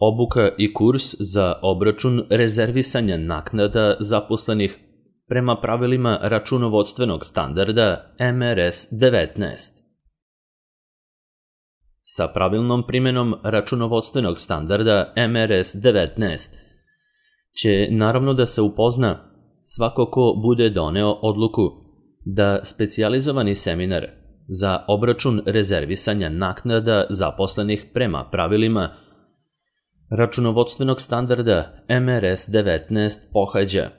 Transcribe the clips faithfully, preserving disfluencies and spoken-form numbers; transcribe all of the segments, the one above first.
Obuka i kurs za obračun rezervisanja naknada zaposlenih prema pravilima računovodstvenog standarda M R S devetnaest. Sa pravilnom primjenom računovodstvenog standarda M R S devetnaest će naravno da se upozna svako ko bude doneo odluku da specijalizovani seminar za obračun rezervisanja naknada zaposlenih prema pravilima računovodstvenog standarda M R S devetnaest pohađa,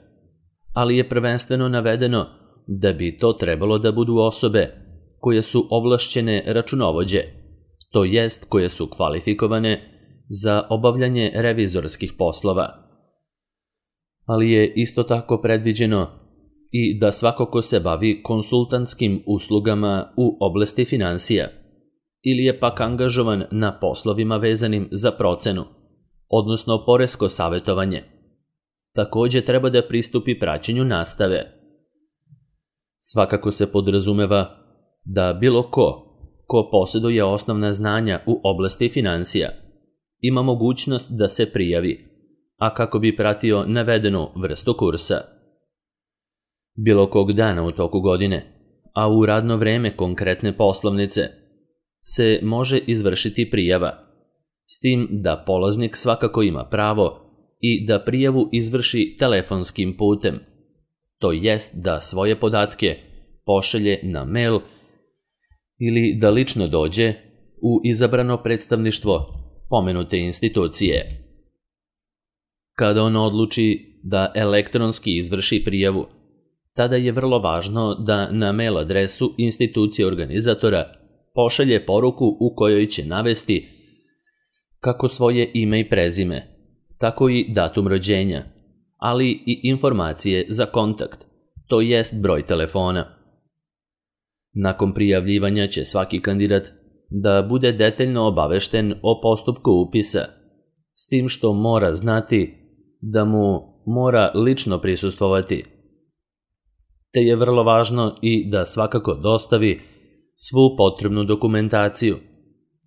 ali je prvenstveno navedeno da bi to trebalo da budu osobe koje su ovlašćene računovođe, to jest koje su kvalifikovane za obavljanje revizorskih poslova. Ali je isto tako predviđeno i da svako ko se bavi konsultantskim uslugama u oblasti finansija ili je pak angažovan na poslovima vezanim za procenu, odnosno poresko savjetovanje, takođe treba da pristupi praćenju nastave. Svakako se podrazumeva da bilo ko, ko posjeduje osnovna znanja u oblasti finansija, ima mogućnost da se prijavi, a kako bi pratio navedenu vrstu kursa. Bilo kog dana u toku godine, a u radno vreme konkretne poslovnice, se može izvršiti prijava, s tim da polaznik svakako ima pravo i da prijavu izvrši telefonskim putem, to jest da svoje podatke pošalje na mail ili da lično dođe u izabrano predstavništvo pomenute institucije. Kada on odluči da elektronski izvrši prijavu, tada je vrlo važno da na mail adresu institucije organizatora pošalje poruku u kojoj će navesti kako svoje ime i prezime, tako i datum rođenja, ali i informacije za kontakt, to jest broj telefona. Nakon prijavljivanja će svaki kandidat da bude detaljno obavešten o postupku upisa, s tim što mora znati da mu mora lično prisustvovati. Te je vrlo važno i da svakako dostavi svu potrebnu dokumentaciju,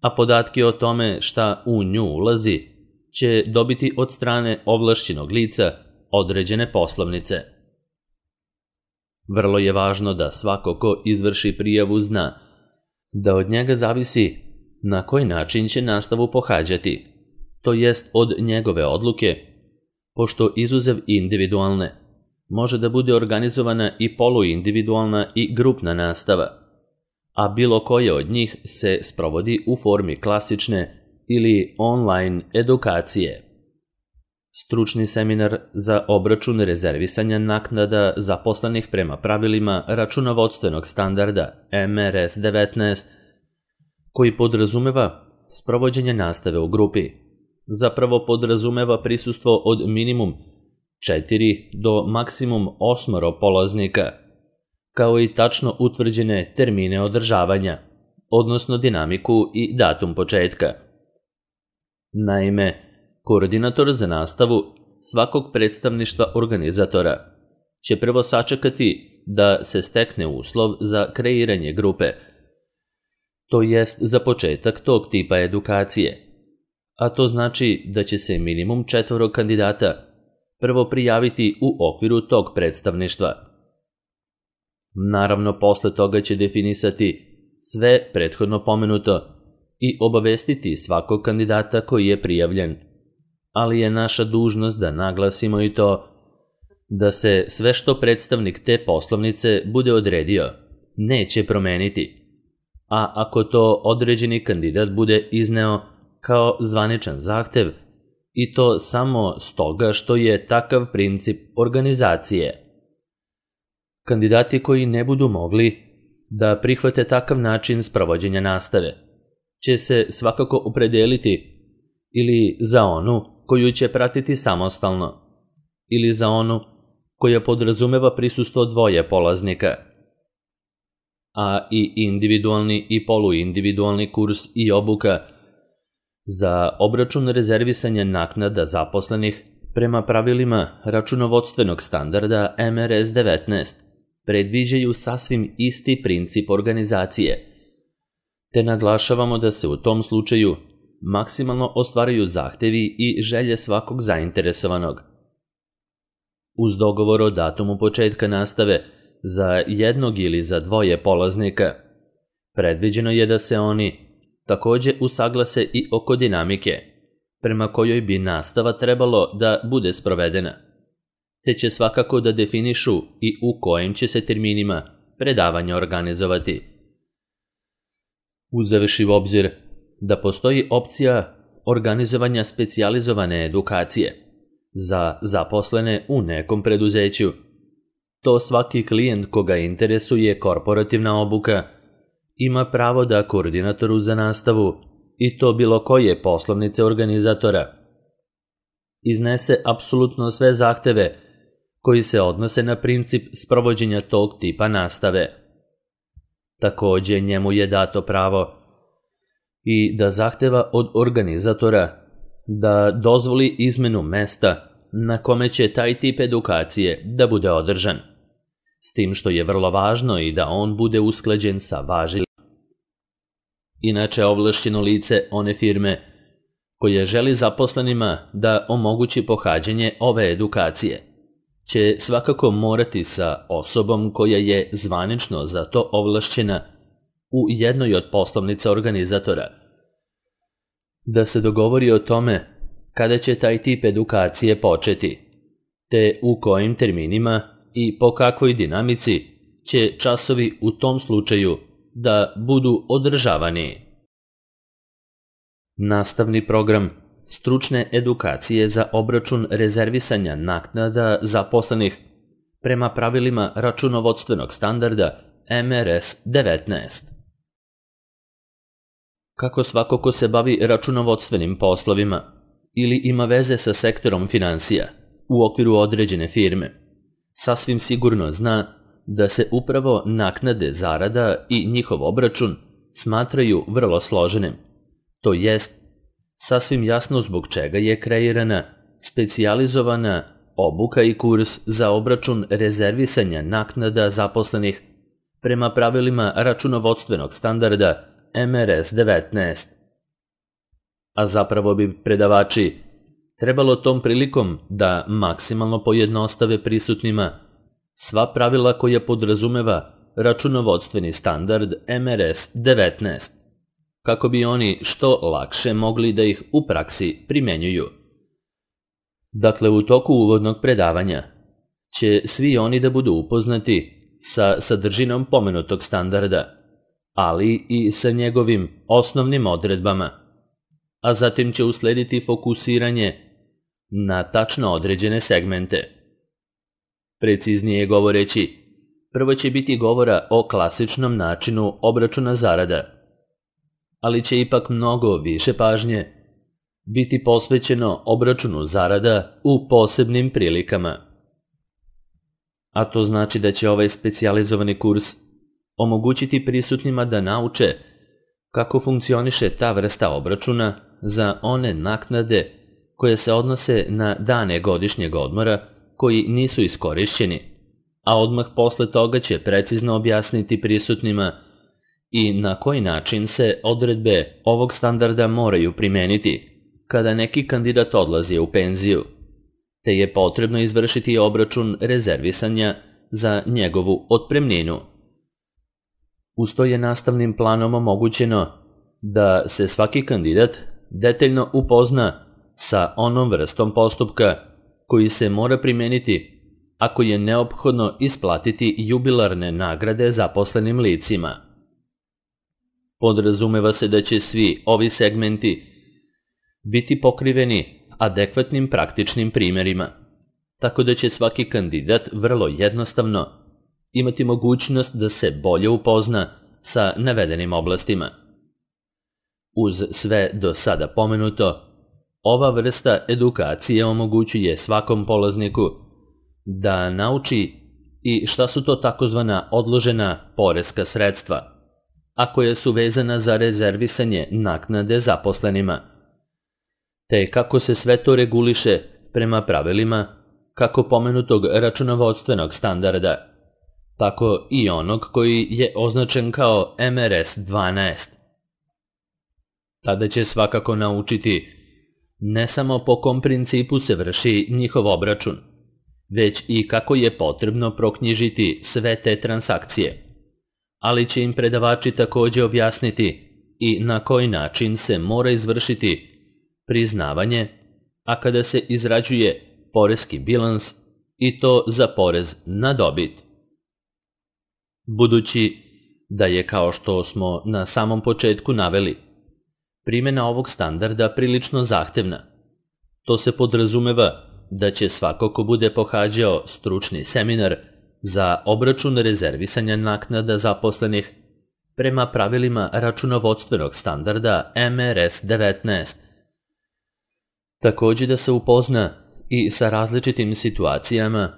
a podatke o tome šta u nju ulazi će dobiti od strane ovlašćenog lica određene poslovnice. Vrlo je važno da svako ko izvrši prijavu zna da od njega zavisi na koji način će nastavu pohađati, to jest od njegove odluke, pošto izuzev individualne može da bude organizovana i poluindividualna i grupna nastava, a bilo koja od njih se sprovodi u formi klasične ili online edukacije. Stručni seminar za obračun rezervisanja naknada zaposlenih prema pravilima računovodstvenog standarda M R S devetnaest, koji podrazumeva sprovođenje nastave u grupi, zapravo podrazumeva prisustvo od minimum četiri do maksimum osmoro polaznika, kao i tačno utvrđene termine održavanja, odnosno dinamiku i datum početka. Naime, koordinator za nastavu svakog predstavništva organizatora će prvo sačekati da se stekne uslov za kreiranje grupe, to jest za početak tog tipa edukacije, a to znači da će se minimum četvoro kandidata prvo prijaviti u okviru tog predstavništva. Naravno, posle toga će definisati sve prethodno pomenuto i obavestiti svakog kandidata koji je prijavljen, ali je naša dužnost da naglasimo i to da se sve što predstavnik te poslovnice bude odredio neće promeniti, a ako to određeni kandidat bude izneo kao zvaničan zahtev, i to samo stoga što je takav princip organizacije. Kandidati koji ne budu mogli da prihvate takav način sprovođenja nastave će se svakako opredeliti ili za onu koju će pratiti samostalno, ili za onu koja podrazumeva prisustvo dvoje polaznika. A i individualni i poluindividualni kurs i obuka za obračun rezervisanja naknada zaposlenih prema pravilima računovodstvenog standarda M R S devetnaest predviđaju sasvim isti princip organizacije, te naglašavamo da se u tom slučaju maksimalno ostvaraju zahtevi i želje svakog zainteresovanog. Uz dogovor o datumu početka nastave za jednog ili za dvoje polaznika, predviđeno je da se oni takođe usaglase i oko dinamike, prema kojoj bi nastava trebalo da bude sprovedena, te će svakako da definišu i u kojim će se terminima predavanja organizovati. Uzevši u obzir da postoji opcija organizovanja specijalizovane edukacije za zaposlene u nekom preduzeću, to svaki klijent koga interesuje korporativna obuka ima pravo da koordinatoru za nastavu, i to bilo koje poslovnice organizatora, iznese apsolutno sve zahteve koji se odnose na princip sprovođenja tog tipa nastave. Takođe, njemu je dato pravo i da zahteva od organizatora da dozvoli izmenu mesta na kome će taj tip edukacije da bude održan, s tim što je vrlo važno i da on bude usklađen sa važećim. Inače, ovlašćeno lice one firme koje želi zaposlenima da omogući pohađanje ove edukacije će svakako morati sa osobom koja je zvanično za to ovlašćena u jednoj od poslovnica organizatora da se dogovori o tome kada će taj tip edukacije početi, te u kojim terminima i po kakvoj dinamici će časovi u tom slučaju da budu održavani. Nastavni program stručne edukacije za obračun rezervisanja naknada zaposlenih prema pravilima računovodstvenog standarda M R S devetnaest. Kako svako ko se bavi računovodstvenim poslovima ili ima veze sa sektorom finansija u okviru određene firme, sasvim sigurno zna da se upravo naknade zarada i njihov obračun smatraju vrlo složenim. To jest, sasvim jasno zbog čega je kreirana specijalizovana obuka i kurs za obračun rezervisanja naknada zaposlenih prema pravilima računovodstvenog standarda M R S devetnaest. A zapravo bi predavači trebalo tom prilikom da maksimalno pojednostave prisutnima sva pravila koja podrazumeva računovodstveni standard M R S devetnaest, kako bi oni što lakše mogli da ih u praksi primenjuju. Dakle, u toku uvodnog predavanja će svi oni da budu upoznati sa sadržinom pomenutog standarda, ali i sa njegovim osnovnim odredbama, a zatim će uslediti fokusiranje na tačno određene segmente. Preciznije govoreći, prvo će biti govora o klasičnom načinu obračuna zarada, ali će ipak mnogo više pažnje biti posvećeno obračunu zarada u posebnim prilikama. A to znači da će ovaj specijalizovani kurs omogućiti prisutnima da nauče kako funkcioniše ta vrsta obračuna za one naknade koje se odnose na dane godišnjeg odmora koji nisu iskorišćeni, a odmah posle toga će precizno objasniti prisutnima i na koji način se odredbe ovog standarda moraju primeniti kada neki kandidat odlazi u penziju, te je potrebno izvršiti obračun rezervisanja za njegovu otpremninu. Uz to je nastavnim planom omogućeno da se svaki kandidat detaljno upozna sa onom vrstom postupka koji se mora primeniti ako je neophodno isplatiti jubilarne nagrade zaposlenim licima. Podrazumeva se da će svi ovi segmenti biti pokriveni adekvatnim praktičnim primjerima, tako da će svaki kandidat vrlo jednostavno imati mogućnost da se bolje upozna sa navedenim oblastima. Uz sve do sada pomenuto, ova vrsta edukacije omogućuje svakom polazniku da nauči i šta su to takozvana odložena poreska sredstva, a koja su vezana za rezervisanje naknade zaposlenima, te kako se sve to reguliše prema pravilima kako pomenutog računovodstvenog standarda, tako i onog koji je označen kao M R S dvanaest. Tada će svakako naučiti ne samo po kom principu se vrši njihov obračun, već i kako je potrebno proknjižiti sve te transakcije, ali će im predavači također objasniti i na koji način se mora izvršiti priznavanje, a kada se izrađuje poreski bilans i to za porez na dobit. Budući da je, kao što smo na samom početku naveli, primjena ovog standarda prilično zahtevna, to se podrazumeva da će svako ko bude pohađao stručni seminar za obračun rezervisanja naknada zaposlenih prema pravilima računovodstvenog standarda M R S devetnaest, također da se upozna i sa različitim situacijama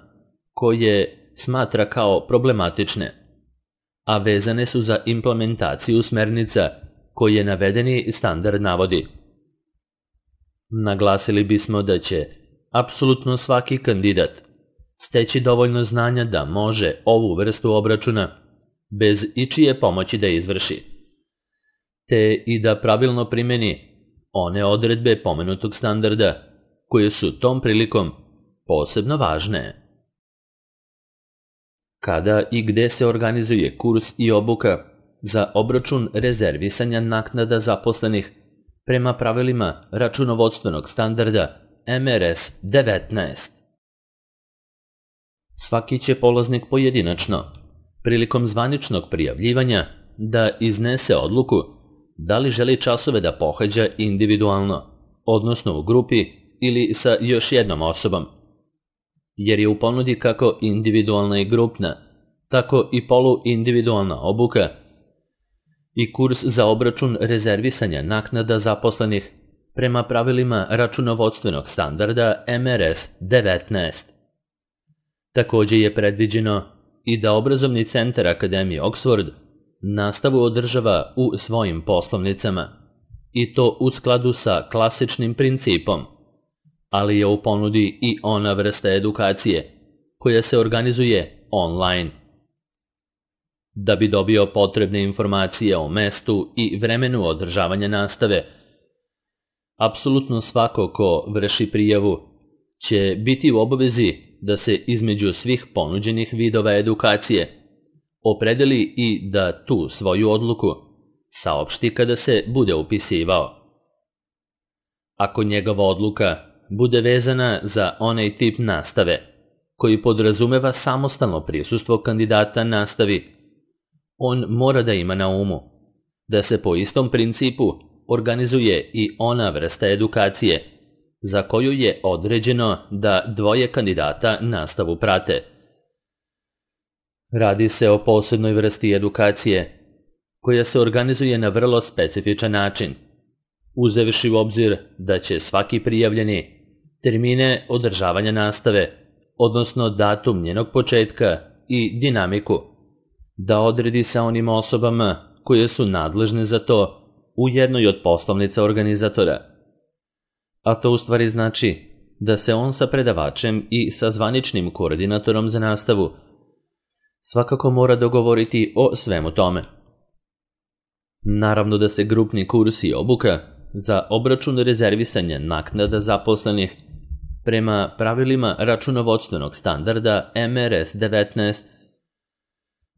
koje smatra kao problematične, a vezane su za implementaciju smernica koje navedeni standard navodi. Naglasili bismo da će apsolutno svaki kandidat steći dovoljno znanja da može ovu vrstu obračuna bez ičije pomoći da izvrši, te i da pravilno primjeni one odredbe pomenutog standarda koje su tom prilikom posebno važne. Kada i gde se organizuje kurs i obuka za obračun rezervisanja naknada zaposlenih prema pravilima računovodstvenog standarda M R S devetnaest? Svaki će polaznik pojedinačno, prilikom zvaničnog prijavljivanja, da iznese odluku da li želi časove da pohađa individualno, odnosno u grupi ili sa još jednom osobom, jer je u ponudi kako individualna i grupna, tako i poluindividualna obuka i kurs za obračun rezervisanja naknada zaposlenih prema pravilima računovodstvenog standarda M R S devetnaest. Također je predviđeno i da obrazovni centar Akademije Oxford nastavu održava u svojim poslovnicama, i to u skladu sa klasičnim principom, ali je u ponudi i ona vrsta edukacije koja se organizuje online. Da bi dobio potrebne informacije o mestu i vremenu održavanja nastave, apsolutno svako ko vrši prijavu će biti u obavezi da se između svih ponuđenih vidova edukacije opredeli i da tu svoju odluku saopšti kada se bude upisivao. Ako njegova odluka bude vezana za onaj tip nastave koji podrazumeva samostalno prisustvo kandidata nastavi, on mora da ima na umu da se po istom principu organizuje i ona vrsta edukacije za koju je određeno da dvoje kandidata nastavu prate. Radi se o posebnoj vrsti edukacije koja se organizuje na vrlo specifičan način, uzevši u obzir da će svaki prijavljeni termine održavanja nastave, odnosno datum njenog početka i dinamiku, da odredi sa onim osobama koje su nadležne za to u jednoj od poslovnica organizatora. A to u stvari znači da se on sa predavačem i sa zvaničnim koordinatorom za nastavu svakako mora dogovoriti o svemu tome. Naravno da se grupni kurs i obuka za obračun rezervisanja naknada zaposlenih prema pravilima računovodstvenog standarda M R S devetnaest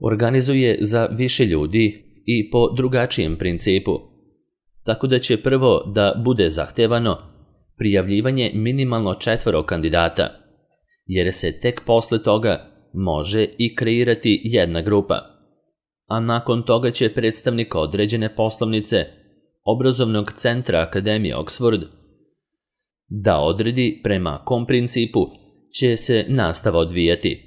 organizuje za više ljudi i po drugačijem principu, tako da će prvo da bude zahtevano prijavljivanje minimalno četvoro kandidata, jer se tek posle toga može i kreirati jedna grupa, a nakon toga će predstavnik određene poslovnice obrazovnog centra Akademije Oxford da odredi prema kom principu će se nastava odvijati.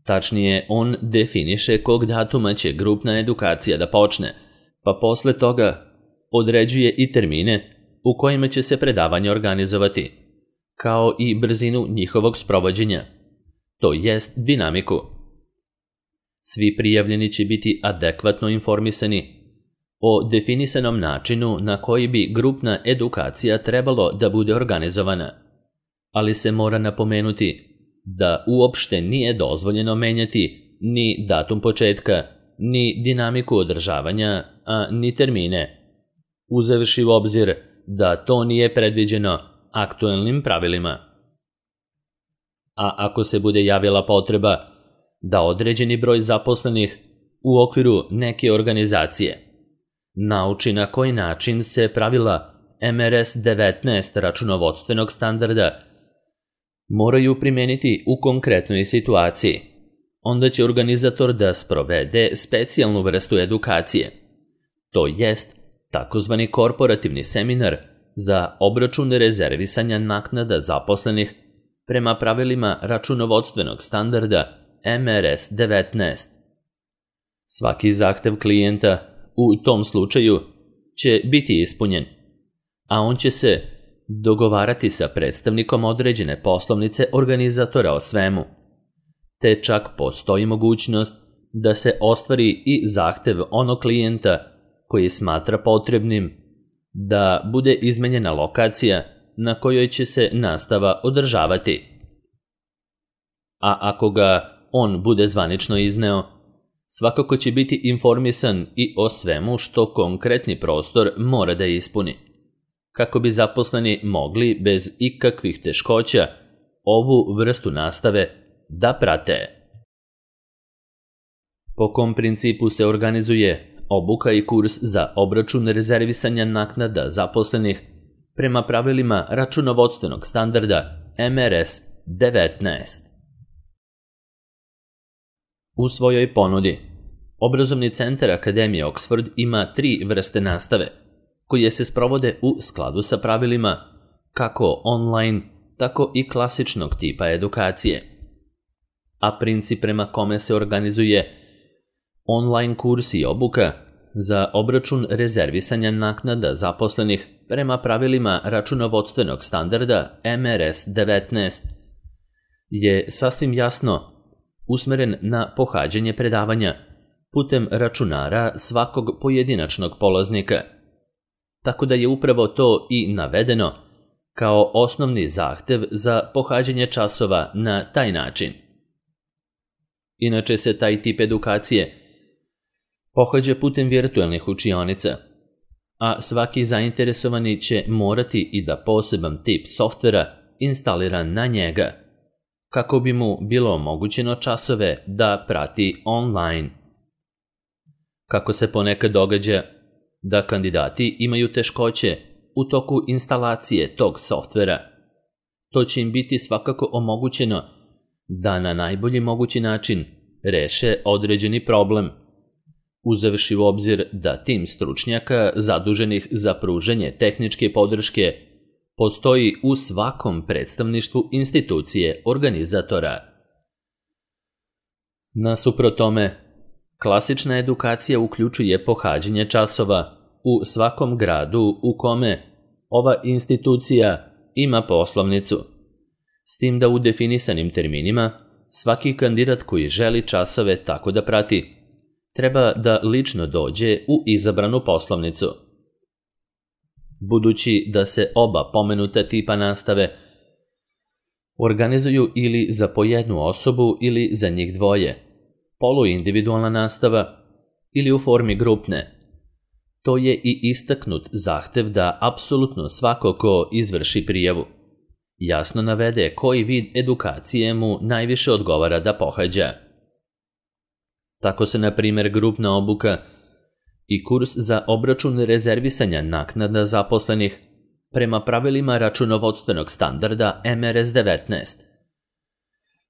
Tačnije, on definiše kog datuma će grupna edukacija da počne, pa posle toga određuje i termine u kojima će se predavanje organizovati, kao i brzinu njihovog sprovođenja, to jest dinamiku. Svi prijavljeni će biti adekvatno informisani o definisanom načinu na koji bi grupna edukacija trebalo da bude organizovana, ali se mora napomenuti da uopšte nije dozvoljeno menjati ni datum početka, ni dinamiku održavanja, a ni termine. uzevši u obzir da to nije predviđeno aktuelnim pravilima. A ako se bude javila potreba da određeni broj zaposlenih u okviru neke organizacije nauči na koji način se pravila M R S devetnaest računovodstvenog standarda moraju primeniti u konkretnoj situaciji, onda će organizator da sprovede specijalnu vrstu edukacije, to jest takozvani korporativni seminar za obračun rezervisanja naknada zaposlenih prema pravilima računovodstvenog standarda M R S devetnaest. Svaki zahtev klijenta u tom slučaju će biti ispunjen, a on će se dogovarati sa predstavnikom određene poslovnice organizatora o svemu, te čak postoji mogućnost da se ostvari i zahtev onog klijenta koji smatra potrebnim da bude izmenjena lokacija na kojoj će se nastava održavati. A ako ga on bude zvanično izneo, svakako će biti informisan i o svemu što konkretni prostor mora da ispuni, kako bi zaposleni mogli bez ikakvih teškoća ovu vrstu nastave da prate. Po kom principu se organizuje obuka i kurs za obračun rezervisanja naknada zaposlenih prema pravilima računovodstvenog standarda M R S devetnaest? U svojoj ponudi, Obrazovni centar Akademije Oxford ima tri vrste nastave, koje se sprovode u skladu sa pravilima kako online, tako i klasičnog tipa edukacije. A princip prema kome se organizuje online kurs i obuka za obračun rezervisanja naknada zaposlenih prema pravilima računovodstvenog standarda M R S devetnaest je sasvim jasno usmeren na pohađanje predavanja putem računara svakog pojedinačnog polaznika, tako da je upravo to i navedeno kao osnovni zahtev za pohađanje časova na taj način. Inače se taj tip edukacije pohađa putem virtualnih učionica, a svaki zainteresovani će morati i da poseban tip softvera instalira na njega, kako bi mu bilo omogućeno časove da prati online. Kako se ponekad događa da kandidati imaju teškoće u toku instalacije tog softvera, to će im biti svakako omogućeno da na najbolji mogući način reše određeni problem, uzevši u obzir da tim stručnjaka zaduženih za pružanje tehničke podrške postoji u svakom predstavništvu institucije organizatora. Nasuprot tome, klasična edukacija uključuje pohađanje časova u svakom gradu u kome ova institucija ima poslovnicu, s tim da u definisanim terminima svaki kandidat koji želi časove tako da prati treba da lično dođe u izabranu poslovnicu. Budući da se oba pomenuta tipa nastave organizuju ili za po jednu osobu ili za njih dvoje, poluindividualna nastava ili u formi grupne, to je i istaknut zahtev da apsolutno svako ko izvrši prijavu jasno navede koji vid edukacije mu najviše odgovara da pohađa. Tako se, na primjer, grupna obuka i kurs za obračun rezervisanja naknada zaposlenih prema pravilima računovodstvenog standarda M R S devetnaest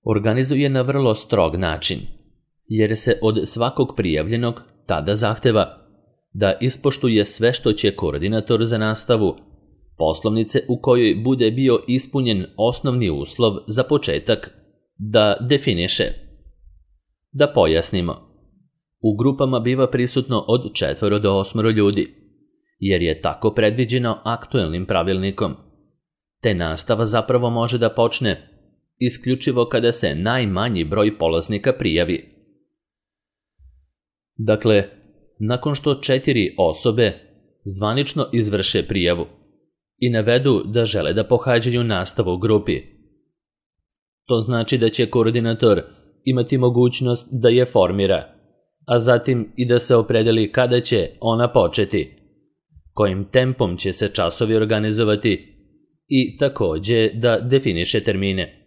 organizuje na vrlo strog način, jer se od svakog prijavljenog tada zahteva da ispoštuje sve što će koordinator za nastavu poslovnice u kojoj bude bio ispunjen osnovni uslov za početak da definiše. Da pojasnimo, u grupama biva prisutno od četvoro do osmoro ljudi, jer je tako predviđeno aktuelnim pravilnikom, te nastava zapravo može da počne isključivo kada se najmanji broj polaznika prijavi. Dakle, nakon što četiri osobe zvanično izvrše prijavu i navedu da žele da pohađaju nastavu u grupi, to znači da će koordinator imati mogućnost da je formira, a zatim i da se opredeli kada će ona početi, kojim tempom će se časovi organizovati i takođe da definiše termine.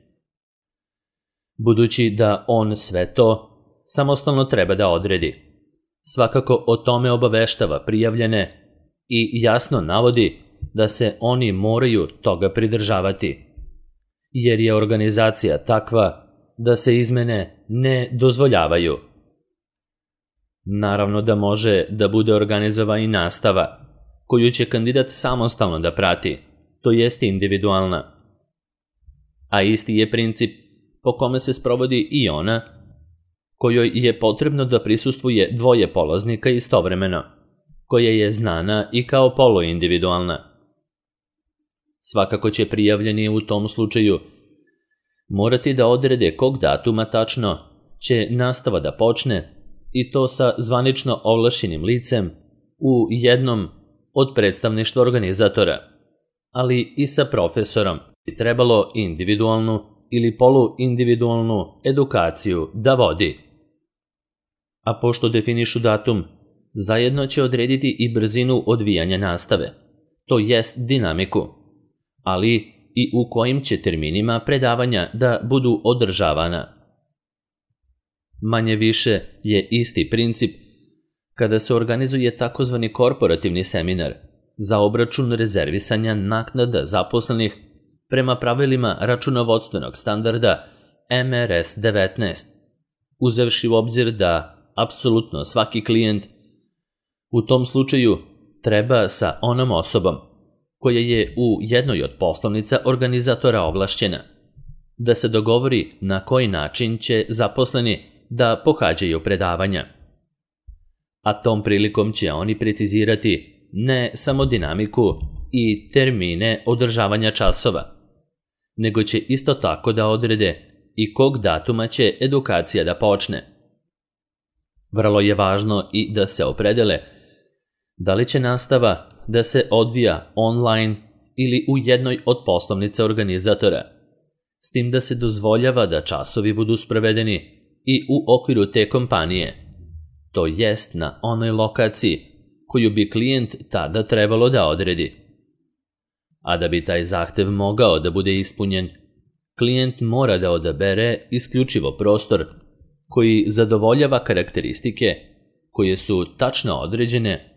Budući da on sve to samostalno treba da odredi, svakako o tome obaveštava prijavljene i jasno navodi da se oni moraju toga pridržavati, jer je organizacija takva da se izmene ne dozvoljavaju. Naravno da može da bude organizovana i nastava, koju će kandidat samostalno da prati, to jest individualna. A isti je princip po kome se sprovodi i ona, kojoj je potrebno da prisustvuje dvoje polaznika istovremeno, koja je znana i kao poluindividualna. Svakako će prijavljeni u tom slučaju morati da odrede kog datuma tačno će nastava da počne, i to sa zvanično ovlašćenim licem u jednom od predstavništva organizatora, ali i sa profesorom bi trebalo individualnu ili poluindividualnu edukaciju da vodi. A pošto definišu datum, zajedno će odrediti i brzinu odvijanja nastave, to jest dinamiku, ali i u kojim će terminima predavanja da budu održavana. Manje više je isti princip kada se organizuje takozvani korporativni seminar za obračun rezervisanja naknada zaposlenih prema pravilima računovodstvenog standarda M R S devetnaest, uzevši u obzir da apsolutno svaki klijent u tom slučaju treba sa onom osobom koja je u jednoj od poslovnica organizatora ovlašćena da se dogovori na koji način će zaposleni da pohađaju predavanja. A tom prilikom će oni precizirati ne samo dinamiku i termine održavanja časova, nego će isto tako da odrede i kog datuma će edukacija da počne. Vrlo je važno i da se opredele da li će nastava da se odvija online ili u jednoj od poslovnica organizatora, s tim da se dozvoljava da časovi budu sprovedeni i u okviru te kompanije, to jest na onoj lokaciji koju bi klijent tada trebalo da odredi. A da bi taj zahtev mogao da bude ispunjen, klijent mora da odabere isključivo prostor koji zadovoljava karakteristike koje su tačno određene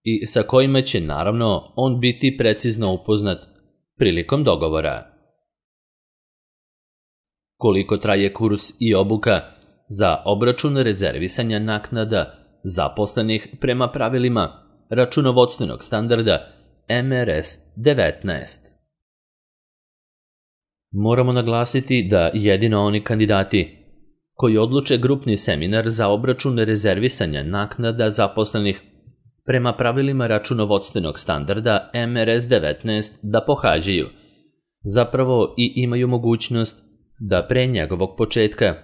i sa kojima će naravno on biti precizno upoznat prilikom dogovora. Koliko traje kurs i obuka za obračun rezervisanja naknada zaposlenih prema pravilima računovodstvenog standarda M R S devetnaest. Moramo naglasiti da jedino oni kandidati koji odluče grupni seminar za obračun rezervisanja naknada zaposlenih prema pravilima računovodstvenog standarda M R S devetnaest da pohađaju, zapravo i imaju mogućnost da pre njegovog početka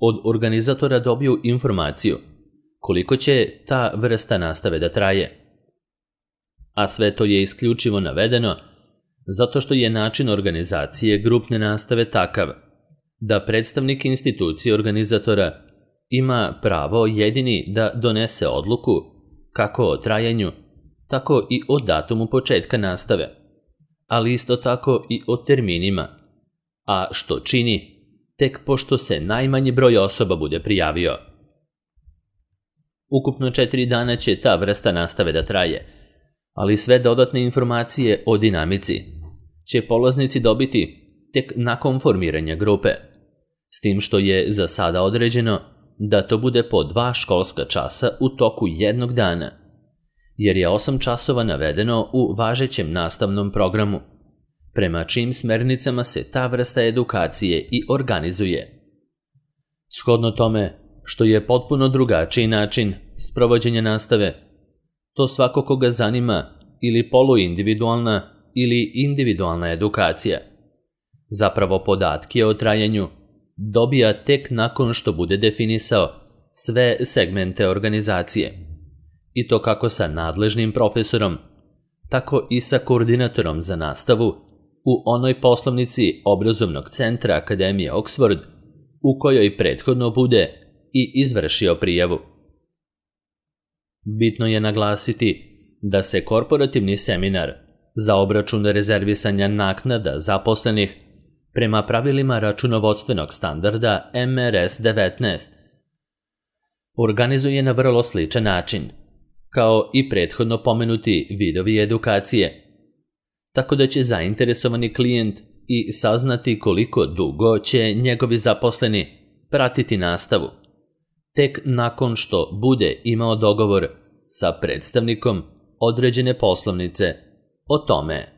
od organizatora dobiju informaciju koliko će ta vrsta nastave da traje. A sve to je isključivo navedeno zato što je način organizacije grupne nastave takav da predstavnik institucije organizatora ima pravo jedini da donese odluku kako o trajanju, tako i o datumu početka nastave, ali isto tako i o terminima, a što čini tek pošto se najmanji broj osoba bude prijavio. Ukupno četiri dana će ta vrsta nastave da traje, ali sve dodatne informacije o dinamici će polaznici dobiti tek nakon formiranja grupe, s tim što je za sada određeno da to bude po dva školska časa u toku jednog dana, jer je osam časova navedeno u važećem nastavnom programu, prema čijim smernicama se ta vrsta edukacije i organizuje. Shodno tome što je potpuno drugačiji način sprovođenja nastave, to svako koga zanima ili poluindividualna ili individualna edukacija, zapravo podatke o trajanju dobija tek nakon što bude definisao sve segmente organizacije, i to kako sa nadležnim profesorom, tako i sa koordinatorom za nastavu u onoj poslovnici obrazovnog centra Akademije Oxford u kojoj prethodno bude i izvršio prijavu. Bitno je naglasiti da se korporativni seminar za obračun rezervisanja naknada zaposlenih prema pravilima računovodstvenog standarda M R S devetnaest organizuje na vrlo sličan način, kao i prethodno pomenuti vidovi edukacije, tako da će zainteresovani klijent i saznati koliko dugo će njegovi zaposleni pratiti nastavu, tek nakon što bude imao dogovor sa predstavnikom određene poslovnice o tome